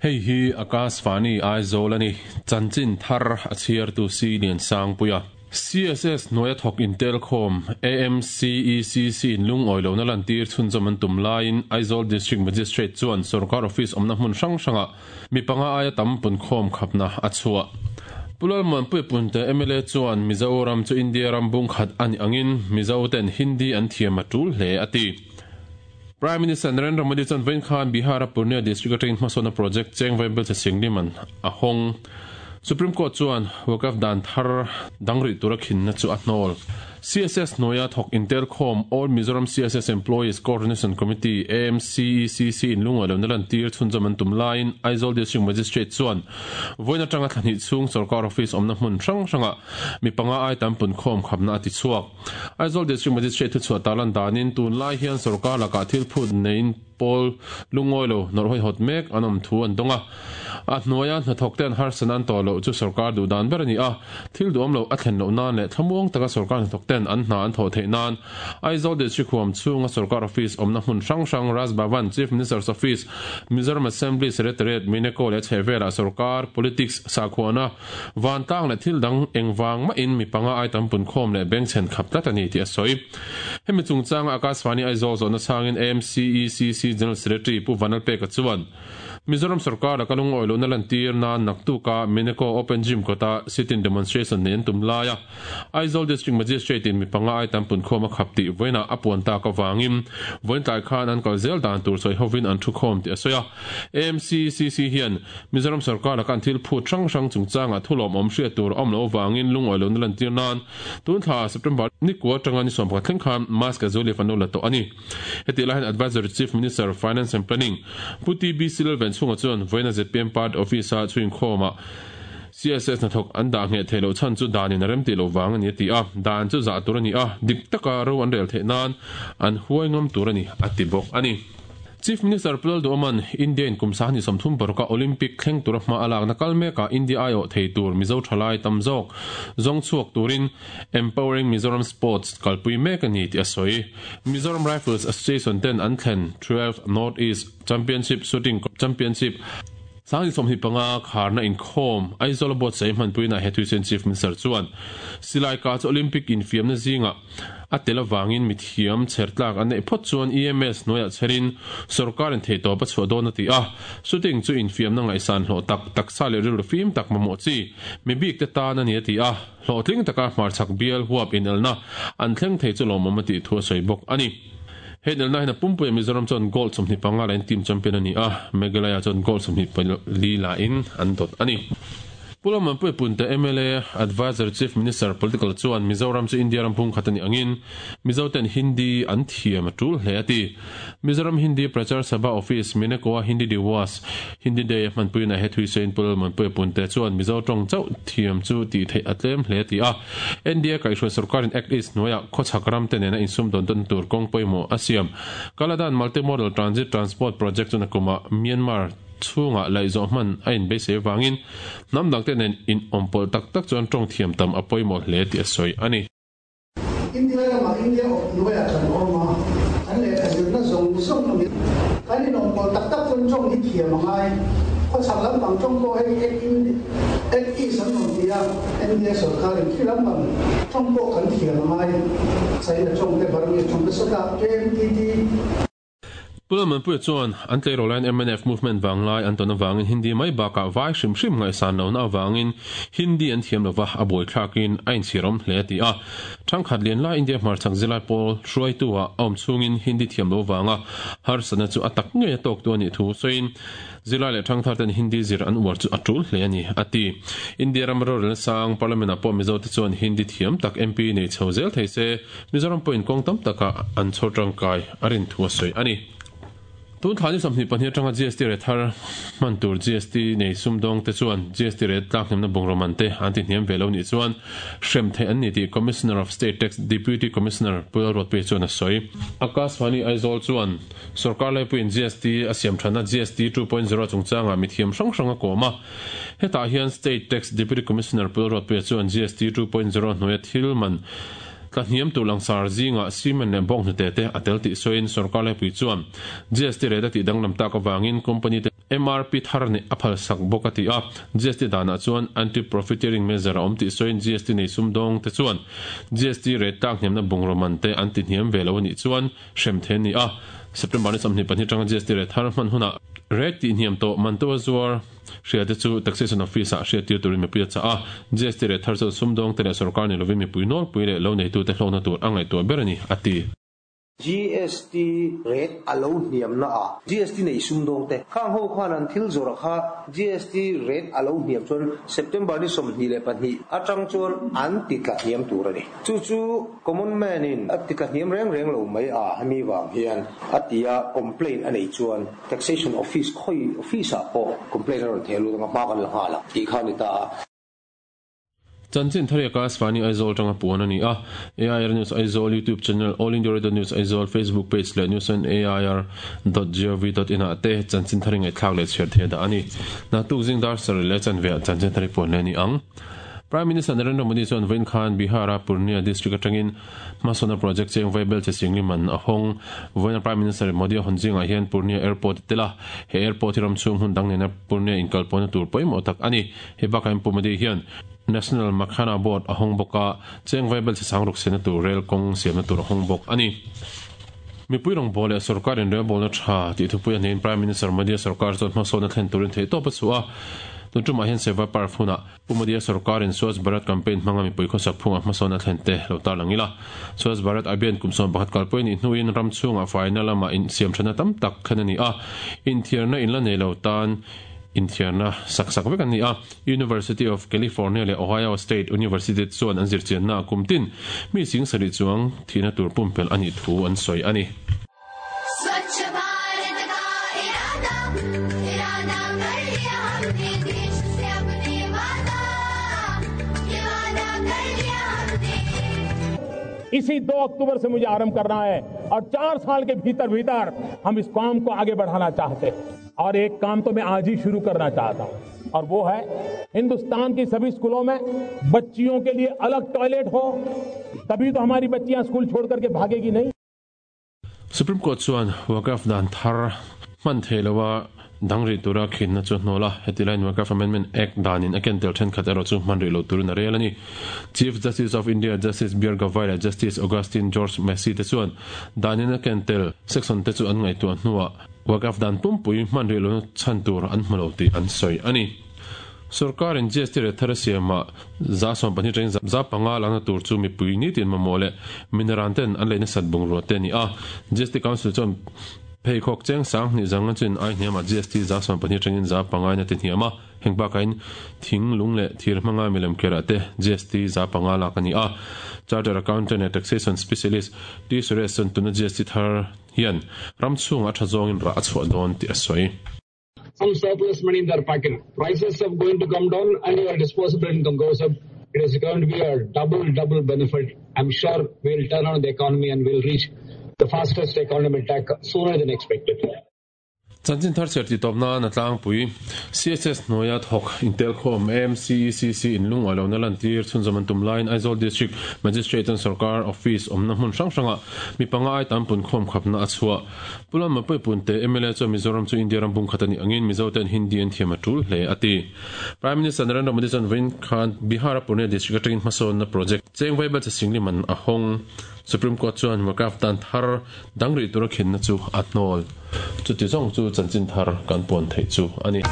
Hei hi Akashvani Aizawl a ni. Chanchin thar a chhiartu Si Liansangpuia. CSS hnuaia thawk intelkhawm AMCECC in lungawi lohna lantir chhunzawm an tum laiin Aizawl District Magistrate chuan sorkar office awmna hmun hrang hrangah mi panga aia tam punkhawm khapna a chhuah. Pu Lalmuanpuia Punte mla chuan Mizoram chu India ram bungkhat a nih angin Mizo ten Hindi an thiam a tul hle a ti. Prime Minister Narendra Modi chuan vawiin khan Bihar-a Purnia District atangin hmasawnna project cheng vaibel che Singliman a hawng. Supreme Court chuan Waqf dan thar dang rih tura khinna chu a hnawl. CSS hnuaia thawk intelkhawm All Mizoram CSS Employees Coordination Committee, AMCECC, in lungawi lohna lantir chhunzawm an tum laiin Aizawl District Magistrate chuan vawiin atanga thla hnih chhung sorkar office awmna hmun hrang hrangah mi panga ai tam punkhawm khapna a ti chhuak. Aizawl District Magistrate thuchhuah tarlan danin tunlai hian sorkar lakah thil phut neiin pawl lungawi lo nawrh hawihawt mek an awm thu an dawng a. A hnuaia hnathawk te an harsatna an tawh loh chu sorkar duh dan ber a ni a, thil duhawm loh a thlen loh nan leh thlamuang taka sorkar hnathawk ten an hna an thawh theih nan Aizawl District huam chhunga sorkar office awmna hmun hrang hrang Raj Bhavan, Chief Minister's Office, Mizoram Assembly Secretariat, Mineko leh a chhehvelah sorkar politics sakhuana Vantlang leh thil dang engvang mahin mi panga ai tam punkhawm leh bengchhen khap tlat a ni tih a sawi. Hemi chungchanga Akashvani Aizawl zawhna chhangin AMCECC General Secretary Pu Vanlalpeka chuan, Mizoram sorkar laka lungawi lohna lantir nan naktuka Mineko Open Gym kawta sit-in demonstration nei an tum laia Aizawl District Magistrate in mi panga ai tam punkhawm a khap tih vawiinah a puan tak avangin vawiin tlai khan an kal zel dan tur sawi hovin an thukhawm tih a sawi a. AMCCC hian Mizoram sorkar laka an thil phut hrang hrang chungchangah thu lawmawm hriat tur a awm loh avangin lungawi lohna lantir nan tun thla September ni kua atanga ni 11 thleng khan mask a zualif an lo la tawh a ni. Hetih lai hian Advisory Chief Minister, Finance and Planning, Pu TB Silal Venchhunga chuan vawiina zpm Party Office-a chhuinkhawmah CSS hnathawk an dah ngheh theih loh chhan chu danin a remtih loh vang a ni a ti a, dan chu zah tur a ni a, dik taka ro an rel theih nan an huai ngam tur a ni a ti bawk a ni. Chief Minister Pu Lalduhawma'n India in kum sahni 30 paruka Olympic thleng tura hma a lakna kal mekah India aiawh thei tur Mizo thalai tam zawk zawng chhuak turin Empowering Mizoram Sports kalpui mek a ni tih a sawi. Mizoram Rifles Association ten an thlen 12 North East Championship Shooting Championship 2025 kharna inkhawm Aizawl a buatsaih hmanpuinaah he thuisen Chief Minister chuan silai kah chu Olympic infiamna zingah a tel avangin mithiam chher tlak an neih phawt chuan EMS hnuaiah chherin sawrkarin theihtawp a chhuah dawn a ti a. Shooting chu infiamna ngaihsan hlawh tak, taksa leh rilru fim tak mamawh chi mi bikte tan a ni a ti a. Hlawhtling taka hmarchhak bial huap inelna an thleng thei chu lawmawm a tih thu a sawi bawk a ni. He inelna hian a pumpuia Mizoram chuan gold 25 lain team champion a ni a, Meghalaya chuan gold 24 lain an dawt a ni. Pu Lalmanpuia Punte mla Adviser Chief Minister Political chuan Mizoram chu India ram pumkhat a nih angin Mizo ten Hindi an thiam a tul hle a ti. Mizoram Hindi Prachar Sabha Office Minekoa Hindi Diwas Hindi Day a hmanpuina he Thuisein Pu Lalmanpuia Punte chuan Mizo tawng chauh thiam chu tih theih a tlem hle a ti a. NDA kaihhruai sorkarin Act East hnuaiah khawchhak ram te nena insum dawn tawn tur kawng pawimawh a siam. Kaladan Multimodal Transit Transport Project chu nakumah Myanmar chhungah laihzawh hman a inbeisei avangin hnam dangte nen inawmpawlh tak tak chuan tawng thiam tam a pawimawh hle tih a sawi a ni. India ramah India awp hnuaiah kan awm a, kan lehkha zirna zawng zawng a mi. Kan inawmkawl tak tak chuan tawng hi thiam a ngai. Khawchhak lampang tawng pawh hei Act in Act East an rawn ti a, India sorkarin khi lampang tawng pawh kan thiam a ngai. China tawng te Burmese tawng te sawtah KMTT. Pu Lalmanpuia chuan an tleirawl laiin mnf movement vanglai an tawn avangin Hindi mai bakah vai hrim hrim ngaihsan lohna avangin Hindi an thiam lova a buaithlakin a inchhirawm hle a ti a. Thangkhat lian lai India hmarchhak zilai pawl hruaitu ah a awm chhungin Hindi thiam lo vanga harsatna chu a tak ngei a tawktu a nih thu sawiin Zilai leh thangthar ten Hindi zir an uar chu a tul hle a ni, a ti. India ram rorelna sang Parliament ah pawh Mizo te chuan Hindi thiam tak MP nei chho zel thei se, Mizoram pawhin kawng tam takah an chhawr tangkai a rin thu a sawi a ni. Tun thla ni 22 atanga GST rate thar hman tur GST nei sumdawng te chuan GST rate tlakhnemna bungraw man te an ti hniam ve lo nih chuan hrem theih an ni tih Commissioner of State Tax Deputy Commissioner Pu Lalruatpuia chuan a sawi. Akashvani Aizawl chuan Sorkar laipuiin GST a siam thatna GST 2.0 chungchangah mithiam hrang hrang a kawm a. Hetah hian State Tax Deputy Commissioner Pu Lalruatpuia chuan GST 2.0 hnuaia thil man tla hniam tur langsar zingah cement leh bawnghnute te a tel tih sawiin sorkar laipui chuan GST rate a tih danglam tak avangin company te. MRP thar neih a phalsak bawk a ti a. GST danah chuan anti-profiteering measure a awm tih sawiin GST nei sumdawng te chuan GST rate tlak hniamna bungraw man te an ti hniam ve lo a nih chuan hrem thei an ni a. September ni 22 atanga GST rate thar hman hunah rate tih hniam tawh man to a zuar hria te chu Taxation Office ah hriattir turin mipui a chah a. GST rate thar chuan sumdawng te leh sorkar ni lovin mipui nawlpui leh lo neitute hlawkna tur a ngaihtuah ber a ni, a ti. GST rate a lo hniam na ah GST nei sumdawng te khang ho khan an thil zawrh kha GST rate a lo hniam chuan September ni 22 atang chuan an ti tla hniam tur a ni. Chu chu common man in a ti tla hniam reng reng lo mai a hemi vang hian a ti a complaint a nei chuan Taxation Office khawi office ah pawh complaint a rawn theh lut anga hma kan la nghal ang tih kha a ni ta a. Chanchin Thariaka Svani Aizawl tanga puan a ni a, AIR News Aizawl YouTube channel, All India Radio News Aizawl Facebook page leh News on AIR dot gov dot in ah te Chanchin Thari ngaihthlak leh chhiar thei dah a ni. Naktuk zing dar sarih leh chanve ah Chanchin Thari puan leh a ni ang. Prime Minister Narendra Modi chuan vawiin khan Bihar-a Purnia district atangin hmasawnna project cheng vaibel che singli man a hawng. Vawiina Prime Minister Modi a hawn zingah hian Purnia Airport a tel a, he airport hi ram chhung hmun dang nena Purnia inkalpawhna tur pawimawh tak a ni. Hei bakah hian Pu Modi hian National Makhana Board a hawng bawk a, cheng vaibel che sang ruk siamna tur rel kawng siamna tur a hawng bawk a ni. Mipui rawngbâwl leh sorkar inrelbâwlna ṭha tih thupui a hnehin Prime Minister Modi-a sorkar chuan hmasawnna thlen turin theihtawp a chhuah a. Tun ṭumah hian Seva Parv hunah Pu Modi-a sorkarin Swachh Bharat campaign hmanga mipui khawsak phungah hmasawnna thlen te lo tarlang ila. Swachh Bharat Abhiyan kum 11 kalpui a nih hnuin ram chhungah faina lamah insiamṭhatna tam tak thlen a ni a, inthiarna in la nei lo tan inthiarna sak sak vek an ni a. University of California leh Ohio State University te chuan an zirchiannaah kum tin mi sing sarih chuang thihna tur pumpelh a nih thu an sawi a ni. इसी 2 अक्टूबर से मुझे आरंभ करना है और 4 साल के भीतर भीतर हम इस काम को आगे बढ़ाना चाहते हैं और एक काम तो मैं आज ही शुरू करना चाहता हूं और वो है हिंदुस्तान की सभी स्कूलों में बच्चियों के लिए अलग टॉयलेट हो तभी तो हमारी बच्चियां स्कूल छोड़ करके भागेगी नहीं। Supreme Court chuan Waqf dan thar hman thei loa dang rih tura khinna chu hnawl a, heti laiin Waqf Amendment Act danin a ken tel thenkhat erawh chu hman rih lo turin a rel a ni. Chief Justice of India Justice BR Gavai leh Justice Augustine George Masih te chuan danin a ken tel section te chu an ngaihtuah hnuah Waqf dan pumpui hman rih lohna chhan tur an hmu lo tih an sawi a ni. Sorkarin GST rate thar a siamah 12% tangin 5% lakna tur chu mipui nitin mamawh leh mineral ten an lei nasat bungrua te a ni a. GST Council chuan pheikhawk cheng 2000 zanga chin ai hniamah GST 12% tangin 5% in a ti hniam a. Heng bakain thing, lung leh thir hmanga milem kerah te GST 5% lak a ni a. Chartered Accountant leh Taxation Specialist T Suresh chuan tuna GST thar hian ram chhungah a tha zawngin rah a chhuah dawn tih a sawi. Some surplus money in their pocket. Prices are going to come down and your disposable income goes up. It is going to be a double, double benefit. I'm sure we'll turn on the economy and we'll reach the fastest economic attack sooner than expected. Chanchin thar chhiar tih tawp nan a tlangpui. CSS hnuaia thawk intelkhawm AMCECC in lungawi lohna lantir chhunzawm an tum laiin Aizawl District Magistrate chuan sorkar office awmna hmun hrang hrangah mi panga ai tam punkhawm khapna a chhuah. Pu Lalma Puipunte mla chuan Mizoram chu India ram bungkhat a nih angin Mizo ten Hindi an thiam a tul hle a ti. Prime Minister Narendra Modi chuan vawiin khan Bihar-a Purnia District atangin hmasawnna project cheng vaibel che singli man a hawng. Supreme Court chuan Waqf dan thar dang rih tura khinna chu a hnawl. Chuti zawng chu chanchin thar kan puan theih chu a ni.